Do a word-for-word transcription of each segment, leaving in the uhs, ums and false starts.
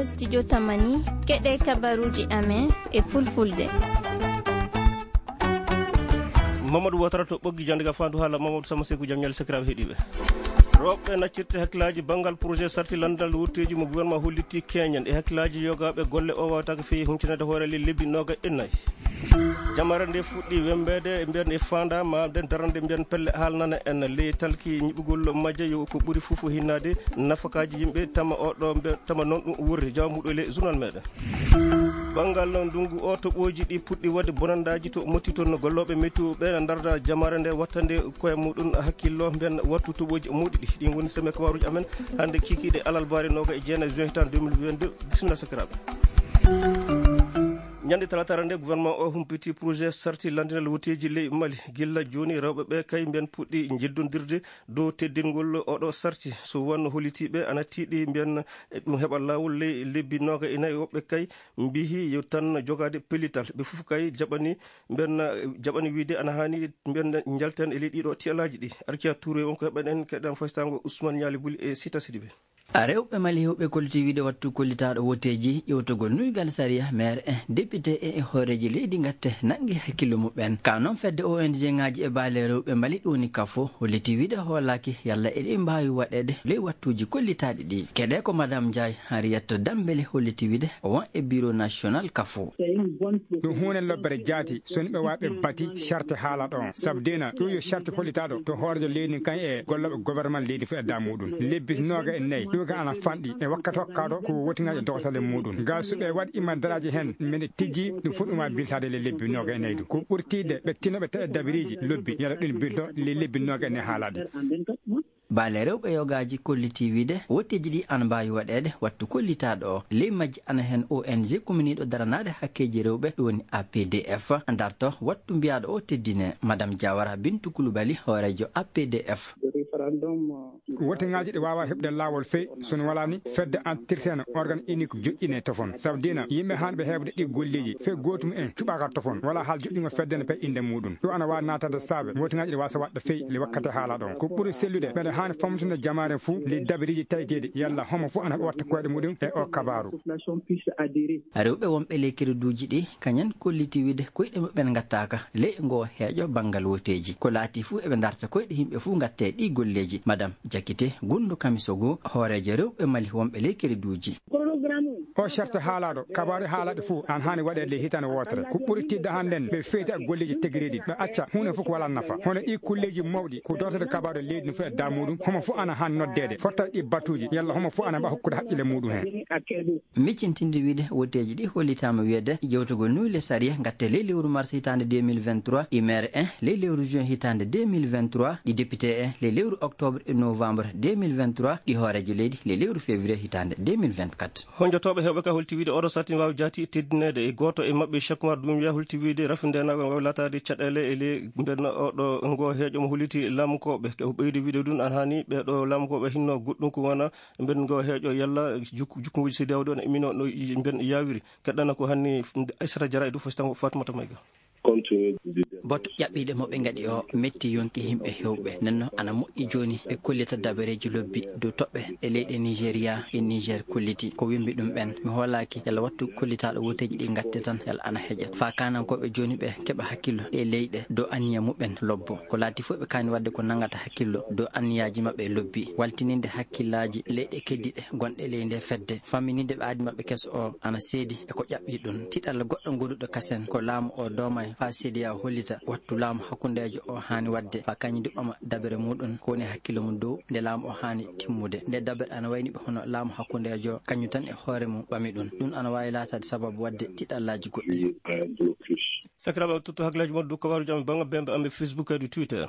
Studio Tamani, keɗe kabaruuji amen e fulfulde. Mamadou Watara to ɓoggi jannde ga fandu haala Mamadou Sama Seku, jam ñaali sakiraaɓe heɗiiɓe. Rewɓe naccirte hakkilaaji banngal projet sarti lanndal wutteeji mo gouvernement hollitti keñen e hakkilaaji yogaaɓe golle o waawata ko feewi huncinaade hoore le lebbi nooga e nayi. Jamare nde fuɗɗi wembeede, mbiyen e faanda ma den darande, mbiyen pelle haalnana en ley talki ñiɓugol majje yo ko ɓuri fof hinnaade nafakaaji yimɓe, tama oɗo mbe-, tama noon ɗum wurri jawa muɗo le journal meɗen. Banngal ndungu o, toɓooji ɗi puɗɗi waɗde bonandaaji to motti toon, gollooɓe météo ɓe na ndarda jamare nde wattande koye muɗum hakkillo, mbiyen wattu toɓooji mawɗi ɗi. Ɗin woni semaine kabaruuji amen hannde kikiiɗe alarba nooga e jeenayi juin hitaan deux mille vingt-deux. Bisimilla sakiraaɓe. Ñande talaata nde, gouvernement o humpiti projet sarti lanndinal wotteeji ley Mali. Gilla jooni, rewɓe ɓe kay mbiyen puɗɗi njeddondirde dow teddingol oɗo sarti. So wonno hollitiiɓe ana tiiɗi mbiyen e ɗum heɓa laawol ley lebbi nooga e nayi, woɓɓe kay mbiyi yo tan jogaade pellital. Ɓe fof kay jaɓani mbiyen, jaɓani wiide ana haani mbiyen njalten e ley ɗiɗo tialaaji ɗi. Arkiya Touré on ko heɓen en keɗan faystaango Ousmane Ñaali Buli e Sita Sidibe. A rewɓe Mali hewɓe kolliti wiide wattu kollitaaɗo woteeji ƴewtogol nuygal sariya, maire en, député en e hooreeji leydi ngatte nangi hakkillo muɓɓen. Ka noon fedde O N G ngaaji e baale rewɓe Mali ɗum woni kafo holliti wiide hoolaaki yalla eɗi mbaawi waɗeede ley wattuuji kollitaaɗi ɗi. Keɗe ko Madame Ndiaye Henriette Dambélé holliti wiide o won e bureau national kafo. Ɗum huunde lobbere jaati, so ni ɓe waawi ɓe bati charte haalaɗo on. Sabu dina, ɗum yo charte hollitaaɗo to hooreejo leydi kan e gollooɓe gouvernement leydi fof e daa muɗum. Lebbi nooga e nayi, ɗum ga ana fanɗi e wakkati hokkaaɗo ko wotingaaji e dogotalle muɗum. Ga so ɓe waɗi ima daraaji hen, mbeɗe tijji ɗum fof ɗum waawi biltaade le lebbi nooga e nayi ɗum. Ko ɓurtiide ɓe tinoɓe taƴa dabiriiji lobbi, yalla ɗum bilto le lebbi nooga e nayi haalaade. Baale rewɓe yogaaji kolliti wiide wotteeji ɗi ana mbaawi waɗeede wattu kollitaaɗo o. Ley majji ana heen O N G kuminiiɗo daranaade hakkeeji rewɓe, ɗum woni A P D F, darto wattu mbiyaaɗo o teddine. Madame Diawara Bintu Kulubali, hooreejo A P D F. Wotingaaji ɗi waawa heɓde laawol fey, so no walaa ni fedde antirteno organe unique joƴƴine tofon. Sabu dina yimɓe haanɓe heɓde ɗi golleeji fey gootum en cuɓaaka tofon. Wala haal joƴƴingo fedde ne pay innde muɗum. Ɗum ana waawi naatade saabe wotingaaji ɗi waasa waɗde fey le wakkati haala ɗon. Ko ɓuri sellude, mbeɗa haani famtinde jamaare fuu le dabiriiji tawiteeɗi yalla homo fuu ana watta koyɗe muɗum e o kabaaru. Rewɓe wonɓe ley kereduuji ɗi, kañen kolliti wiide koyɗe muɓɓen ngattaaka ley ngoo heeƴo banngal woteeji. Ko laati fuu eɓe ndarta koyɗe yimɓe fuu ngatte ɗi golleeji. Madame Jakite Gundu Kamisogo, hooreejo rewɓe Mali wonɓe ley kereduuji. O charte haalaaɗo, kabaaru haalaaɗo fof an haani waɗeede le hitaande wootere. Ko ɓuri tiiɗde hannden ɓe feyti e golleeji tegireeɗi, ɓe acca huunde fof ko walaa nafa. Hono ɗi kulleeji mawɗi, ko dootooɗe kabaaru leydi no fof e daa muɗum, homo fof ana haani noddeede, fotta ɗi batuuji, yalla homo fof ana mbaɗa hokkude haqqille muɗum heen. Miccintinde wiide woteeji ɗi hollitaama wiyeede jewtugol nuyɗe sariya ngatte ley lewru mars hitaande deux mille vingt-trois, ɗi maire en ley lewru juin hitaande deux mille vingt-trois, ɗi député en ley lewru octobre e novembre deux mille vingt-trois, ɗi hooreejo leydi ley lewru février hitaande deux mille vingt-quatre. Honjotooɓe heewɓe ka holti wiide oɗo sarti waawi jaati teddineede e gooto e maɓɓe, Cheikh Oumar Doumbia holti wiide rafindeenaagal waawi laataade caɗeele e ley mbeɗa oɗo ngo heeƴo mo holliti laamukooɓe. Ko ɓeydi wiide ɗum ana haani ɓeeɗo laamukooɓe hinno goɗɗum ko wona mbeɗa ngo heeƴo yalla juk-, jukkonguuji C D A O ɗo no imminoo no mbeɗa yaawiri. Keɗɗana ko hanni Aissata Diarra e dow fasitango Fatmata Mayga. Boto ƴaɓɓiiɗe mo ɓe ngaɗi o metti yonki yimɓe heewɓe. Nenno ana moƴƴi jooni ɓe kollita dabareeji lobbi dow toɓɓe ɗe leyɗe Nigeria e Niger kolliti. Ko wimbi ɗum ɓen. Mi hoolaaki yalla wattu kollitaaɗo woteeji ɗi ngatte tan yalla ana heƴa. Faa kaanankooɓe jooni ɓe keɓa hakkillo ɗe leyɗe dow anniya muɓɓen lobbo. Ko laati fof ɓe kaani waɗde ko nangata hakkillo dow anniyaaji maɓɓe lobbi. Waltininde hakkillaaji leyɗe keddiɗe gonɗe ley nde fedde. Fammininde ɓe aadi maɓɓe keso o ana seedi e ko ƴaɓɓi ɗum. Tiɗalla goɗɗo goduɗo kasen ko laamu o doomay faa C D A O hollita wattu laamu hakkundeejo o haani waɗde faa kañum du ɓama dabere muɗum ko woni hakkillo mum dow nde laamu o haani timmude. Nde dabere ana wayni ɓe hono laamu hakkundeejo kañum tan e hoore mum ɓami ɗum. Ɗum ana waawi laataade sababu waɗde tiɗallaaji goɗɗi. Sakiraaɓe, on tottu hakkillaaji mon dow kabaaruuji amen bannga bembe amen Facebook e Twitter.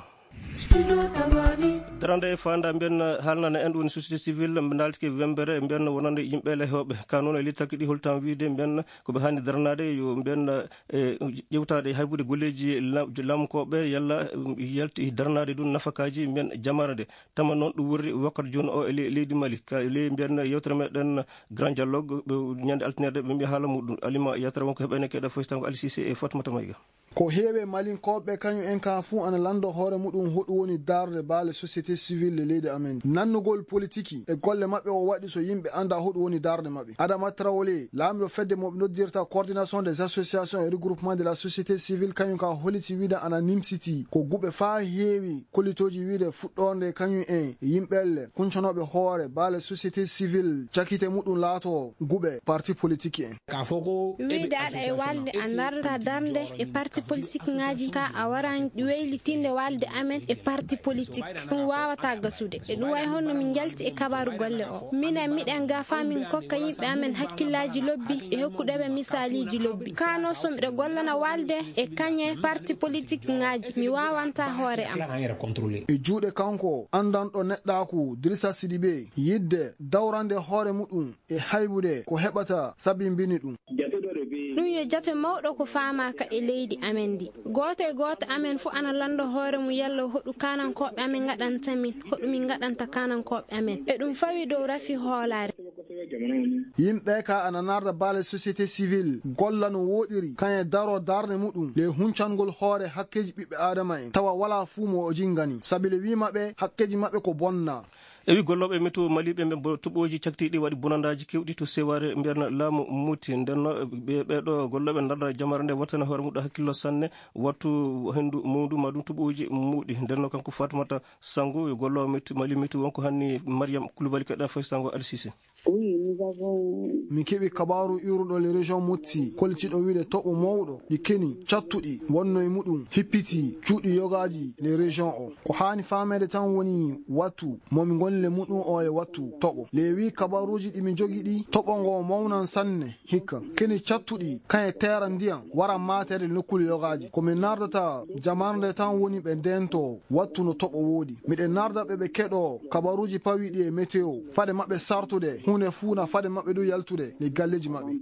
Darande e faanda mbiyen haalnana en ɗum woni société civile mbe ndaaltike wembere mbiyen wonande yimɓe le heewɓe. Ka noon e littakki ɗi holtan wiide mbiyen ko ɓe haani daranaade yo mbiyen, e, ƴewtaade haybude golleeji la-, laamukooɓe yalla, um, yalti daranaade ɗum nafakaaji mbiyen jamaare nde. Tama noon ɗum wurri wakkati jooni o e le-, leydi Mali. Ka le mbiyen yewtere meɗen Grand Dialogue, ɓe ñande altine ɓe mbiya haala muɗum. Alima yewtere won ko heɓene keɗa fof tan ko Ali Cissé e Fatmata Mayga. Ko heewi e Malinkooɓe kañum en ka fuu ana lanndo hoore muɗum hoɗum woni darnde baale société civile e leydi amen. Nannugol politiki e golle maɓɓe o waɗi so yimɓe annda hoɗum woni darnde maɓɓe. Adama Traoré, laamiɗo fedde mo ɓe noddirta Coordination des Associations et Regroupements de la Société Civile, kañum ka holiti wiide ana nimsiti ko guɓe faa heewi kollitooji wiide fuɗɗorde kañum en yimɓelle kuncanooɓe hoore baale société civile cakite muɗum laato guɓe parti politique en. Ka fo ko eɓe wiide aɗa e association walde a narta darnde e parti politique ŋaaji ka a waran weylitinde walde amen e parti politique. Ɗum waawata gasude. E ɗum wayi honno min njalti e kabaaru golle o. Minen miɗen gafa min kokka yimɓe amen hakkillaaji lobbi e hokkude ɓe misaaliji lobbi. Kano so miɗo gollana walde e kañe parti politique ŋaaji, mi waawanta hoore am. E juuɗe kanko anndanɗo neɗɗaaku Dirisa Sidibe, yidde dawrande hoore muɗum e haybude ko heɓata sabimbini ɗum. Ɗum yo jate mawɗo ko faamaaka e leydi amen ndi. Gooto e gooto amen fof ana lanndo hoore mum yalla hoɗu kaanankooɓe amen ngaɗanta min, hoɗu min ngaɗanta kaanankooɓe amen. E ɗum fawi dow rafi hoolaare. Yimɓe ka ana narda baale société civile golla no woɗiri, kañe daro darnde muɗum le huncangol hoore hakkeji ɓiɓɓe adama en, tawa wala fuu mo o jingani, sabi le wi maɓɓe hakkeji maɓɓe ko bonna. E wi gollooɓe meto maliɓe ɓe bo-, toɓooji caktiiɗi waɗi bonandaaji kewɗi to Seware, mbiyatno laamu Muti. Nden no ɓe, ɓeeɗo gollooɓe darda jamare nde wattana hoore muɗum hakkillo sanne, wattu hendu muɗum ma ɗum toɓooji muɗi. Nden no kanko Fatoumata Sango, golloowo meto, Mali meto wonko hanni Mariam Koulibaly keɗa fay Sango Alsise. Oui, nous avons Min keɓi kabaaru iwruɗo le région Motti, kollitiiɗo wiide toɓo mawɗo, ɗi keni, cattuɗi, wonno e muɗum, hippiti, cuuɗi yogaaji le région o. Ko haani faameede tan woni wattu, mo min ngoni le muɗum o e wattu toɓo. Le wi kabaaruuji ɗi min jogi ɗi, toɓo ngo mawnan sanne, hikka. Keni cattuɗi, kan e teera ndiyam, wara maatere nokkuule yogaaji. Ko min nardata jamarnde tan woni ɓe ndento wattu no toɓo woodi. Miɗen narda ɓe ɓe keɗo kabaruuji pawiiɗi e météo. Fade maɓɓe sartude, huunde fuu na fade maɓɓe ɗum yaltude e galleeji maɓɓe.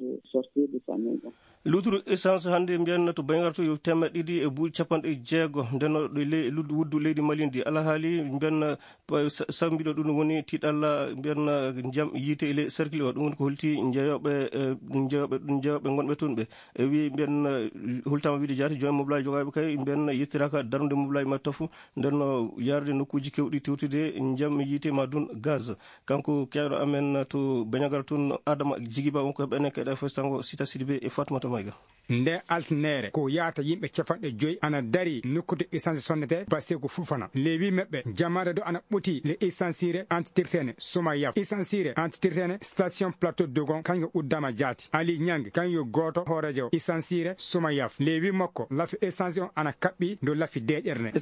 Luturu essence hannde mbiyan to Bangar to yo teemeɗɗe ɗiɗi e buuɗi capanɗe jeego. Nden no ɗo le-, lud-, wuddu leydi Mali ndi. Alhaali mbiyan pa-, sa-, sambiɗo ɗum woni tiɗalla mbiyan njam yiite e le cercle o. Ɗum woni ko holti njeyoɓe, eh, njeyoɓe, njeyoɓe ngonɓe toon ɓe. E wi mbiyan, eh, hultama wiide jaati joom moblaaji jogaaɓe kay mbiyan yettiraka darnude moblaaji maɓɓe tafu. Nden no yarde nokkuuji kewɗi tewtude njam yiite ma dun gaz. Kanko keɗo amen to Banyagal tun Adama Jigiba wonko heɓene keɗa fo sango Sita Sidibe e Fatmata Mayga. Nde altnere ko yaata yimɓe capanɗe joyi ana dari nokkude essence sonnete Baseku Fufana. Lewi meɓɓe jamaare do ana ɓoti le essence re antitirtene Soma Yaf. Essence re antitirtene station Plateau Dogon kanko uddama jaati. Ali Nyang kanko gooto hoorejo essence re Soma Yaf. Lewi makko lafi essence on ana kaɓɓi do lafi deƴerne.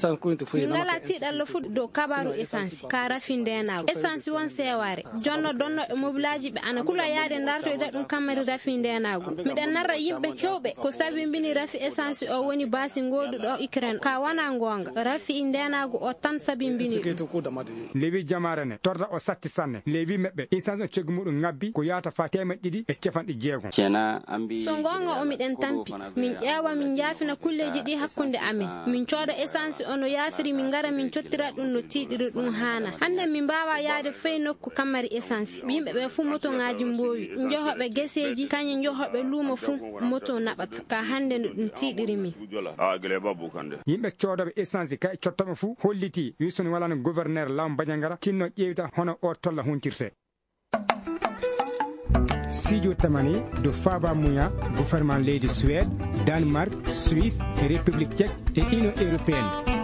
Min ngala tiiɗallo fu dow kabaru essence ka rafi ndenaagu. Essence won seewaare. Jonno donno e mobilaaji ɓe ana kula yaade ndartoyda ɗum kammari rafi ndenaagu. Miɗen narra yimɓe kewɓe ko sabimbini rafi essence o woni baasi ngooduɗo Ukraine. Ka wana ngoonga. Rafi ndenaagu o tan sabimbini ɗum. Lewi jamaare ne torda o satti sanne. Lewi meɓɓe essence o coggu muɗum ngabbi ko yaata fa teemeɗɗe ɗiɗi e capanɗe jeego. So ngoonga o miɗen tampi. Min ƴeewa, min njaafina kulleeji ɗi hakkunde amen. Min cooda essence o no yaafiri, min ngara min cottira ɗum no tiiɗiri ɗum haana. Hannde min mbaawa yaade fay nokku kammari essence. Yimɓe ɓe fuu motoŋaaji mboowi. Njohoɓe geseeji, kañe njohoɓe luumo fuu, moto naɓata. Ka hannde no ɗum tiiɗiri min. Yimɓe coodoɓe essence kay cottoɓe fuu holliti wi soni walano gouverneur law Bandiagara tinno ƴeewta hono o tolla huntirte. Sijo tamani do Faba Muya, gouvernement leydi Suède, Danemark, Suisse e République Tchèque e Union Européenne.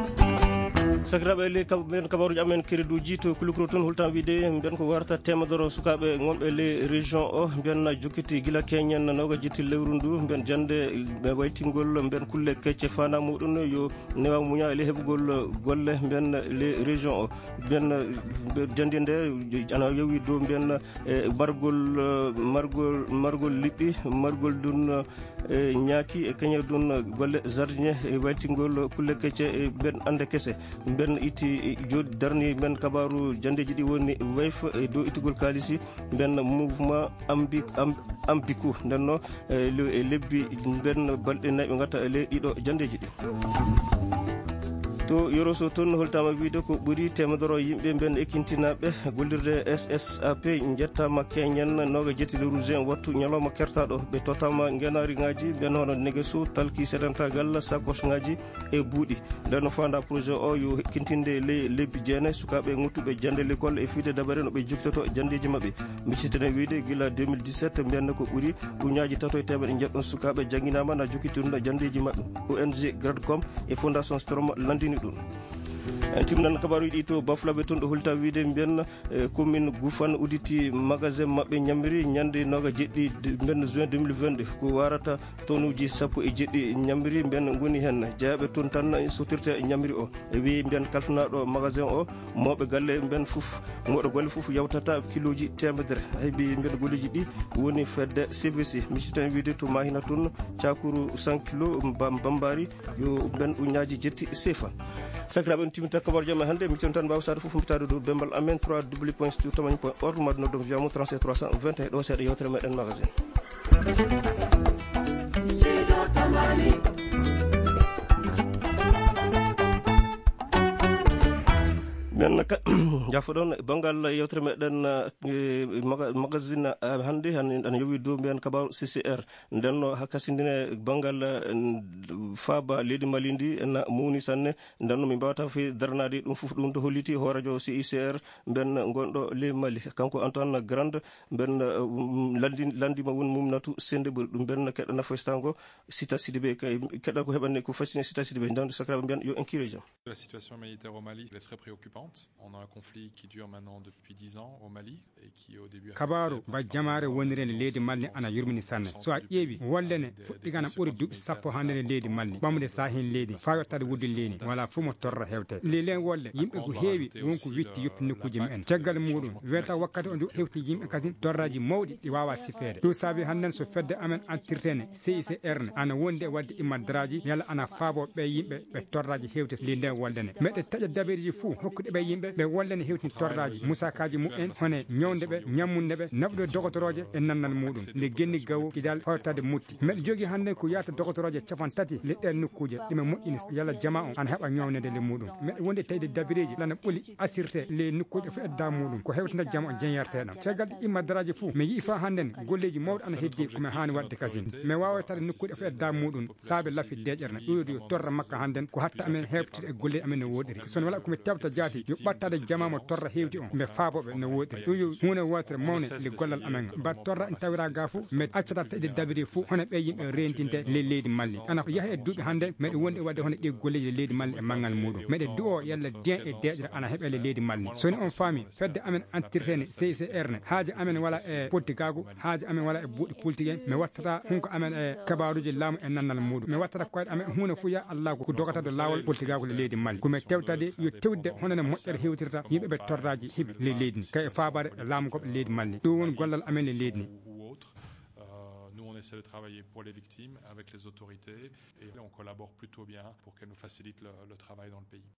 Sakiraaɓe, le kab-, mbiyen kabaruuji amen kereduuji to Kulukuro toon, hultan wiide mbiyen ko warata teemedere sukaaɓe ngonɓe le région o, mbiyen na jokkiti gila keñen nooga jetti lewru ndu, mbiyen jannde ɓe waytingol mbiyen kulle kecce fana muɗum yo newa muña le heɓugol golle mbiyen le région o. Mbiyen, mbiyen jannde nde ana yowi dow mbiyen, e margol, margol, margol liɓɓi, margol dun, e ñaaki e keñe dun golle jardin e waytingol kulle kecce e mbiyen ande kese. Mbiyen itti, e jooɗi darni mbiyen kabaru janndeeji ɗi woni wayf e dow ittugol kaalisi mbiyen mouvement Ambi-, Am-, Ambiku. Nden no, e le-, e lebbi mbiyen balɗe nayi ɓe ngatta e ley ɗiɗo janndeeji ɗi. To Yoroso toon, holtaama wiyde ko ɓuri teemedere yimɓe ɓen e kintinaaɓe gollirde S S A P njettaama keñen nooga jetti le rouge en wattu ñalawma kertaaɗo. Ɓe totaama ngenaari ŋaaji ɓen hono negeso, talki, sedentaagal, sakoos ŋaaji e buuɗi. Nden no faanda projet o yo kintinde le-, lebbi jeenayi sukaaɓe ŋuttuɓe jannde l'école e fiyde dabare no ɓe jokkoto janndeeji maɓɓe. Miccitene wiyde gila deux mille dix-sept mbiyanno ko ɓuri uñaaji tato e teemedde njeɗɗon sukaaɓe jannginaama na jokkitirno janndeeji maɓɓe. O N G Gradcom e Fondation Strom lanndini ɗum. En timnan kabaaruuji ɗi to Bafulaɓe toon ɗo holta wiyde mbiyan, eh, commune Gufan udditi magasin maɓɓe ñamri ñande nooga jeɗɗi de-, mbiyan juin deux mille vingt-deux. Ko warata tonuuji sappo e jeɗɗi ñamri mbiyan ngoni heen. Jeyaaɓe toon tan sottirta ñamri o. E wiyi mbiyan kalfinaaɗo magasin o, mawɓe galle mbiyan fof, mawɗo golle fof yawtata kilooji teemedere. Hay mbiyi mbiyan golleeji ɗi woni fedde C V C. Miccitene wiyde to Mahina toon, cakuru cent kilo ba-, bambari, yo ɓen uñaaji jetti sefa. Sakiraaɓe, en timminta kabaruuji amen hannde. Miccoɗon tan mbaawa saade fof mbitaade dow bembal amen trois W point studio tamani point org, mbaɗa noddu mo wiyaamo trente-sept trois cent vingt et un. Ɗo seeɗa yewtere meɗen magasin. Men ka-, jafoɗon banngal yewtere meɗen, eh, maga-, magasin, eh, hannde, hannde ene yowi dow mbiyan kabaaru C C R. Nden no haa kasindine banngal, eh, faaba leydi Mali ndi ena mawni sanne. Nden no min mbaawata fe daranaade ɗum fof. Ɗum to holliti hooreejo C I C R mben ngonɗo ley Mali. Kanko Antoine Grande mben, eh, um, lanndi-, lanndima won mumnatu sende ɓuri ɗum mben keɗɗa nafoystango Sita Sidibé. Kay keɗɗa ko heɓande ko fasine Sita Sidibé. Nden sakiraaɓe mbiyan yo en kiire jam. La situation humanitaire au Mali, elle est très préoccupante. On a un conflit qui dure maintenant depuis dix ans au Mali. Kabaaru ba jamaare wonirende leydi Mali ana yurmini sanne. So a ƴeewi, wolde ne fuɗɗi kana ɓuri duuɓi sappo hannde nde leydi Mali, ɓamde saahin leydi, faa yottaade wuddin leydi, wala fof mo torra hewte. Nde len wolde, yimɓe ko heewi, won ko witti yoppi nokkuuji mumen. Caggal muuɗum, welta wakkati o ndu hewti yimɓe kasin torraaji mawɗi ɗi waawa sifeede. Ɗum saabi hannden so fedde amen antirtene, C I C R ne, ana wondi e waɗde immadraaji, yalla ana faabo ɓe yimɓe ɓe torraaji hewti ley nden wolde ne. Meɗe taƴa dabareeji fuu hokkude ɓe yimɓe ɓe wolde ne hewtini torraaji, musaakaaji mumen, hone ñawnde ɓe, ñammunde ɓe, naɓude dogotorooje e nannal muuɗum. Nde genni gawo kidal fawtaade mutti. Meɗe jogii hannde ko yaata dogotorooje capan tati le ɗeen nokkuuje, ɗume moƴƴini yalla jamaa on ana heɓa ñawnede le muuɗum. Meɗe wondi e taƴde dabareeji lana ɓoli asirte le nokkuuje fof e daa muuɗum. Ko hewtinta jamaa on jeñyartee ɗam. Caggal ɗi immadraaji fuu, mi yi'i faa hannden golleeji mawɗi ana heddi ko mi haani waɗde kasin. Mi waaway taade nokkuuje fof e daa muuɗum. Saabe lafi deeƴere na ɗoyɗo yo torra makka hannden ko hatta amen heɓtude e golle amen no woɗiri. So wala ko mi tewta jaati yo ɓattaade jamaa mo torra hewti on. Mbe faabo ɓe no woɗiri. Ɗum yo huunde wootere mawne nde gollal amen. Ba torra en tawira ga fof, mbe accata taƴde dabiri fof, hono ɓe yimɓe rendinde le leydi Mali. Ana yaha e duuɓi hannde, meɗe wondi e waɗde hono ɗi golleeji le leydi Mali e manngal muuɗum. Meɗe du'o yalla diyen e deeƴere ana heɓe le leydi Mali. So ni on faami, fedde amen antirtene C I C R ne, haaja amen wala e pottigaagu, haaja amen wala e buuɗi politique en, mi wattata hunko amen e kabaaruuji laamu e nannal muuɗum. Mi wattata koyɗe amen huunde fof ya Allah ko dogata do laawol politigaagu le leydi Mali. Ko mi tewtade yo tewde hono no moƴƴere hewtirta yimɓe ɓe torraaji heɓi le leydi ndi. Kay e faabaade laamu goɓɓe leydi Mali. Ɗum woni gollal amen le leydi ndi. Ou autre. Euh, nous, on essaie de travailler pour les victimes avec les autorités et on collabore plutôt bien pour qu'elles nous facilitent le, le travail dans le pays.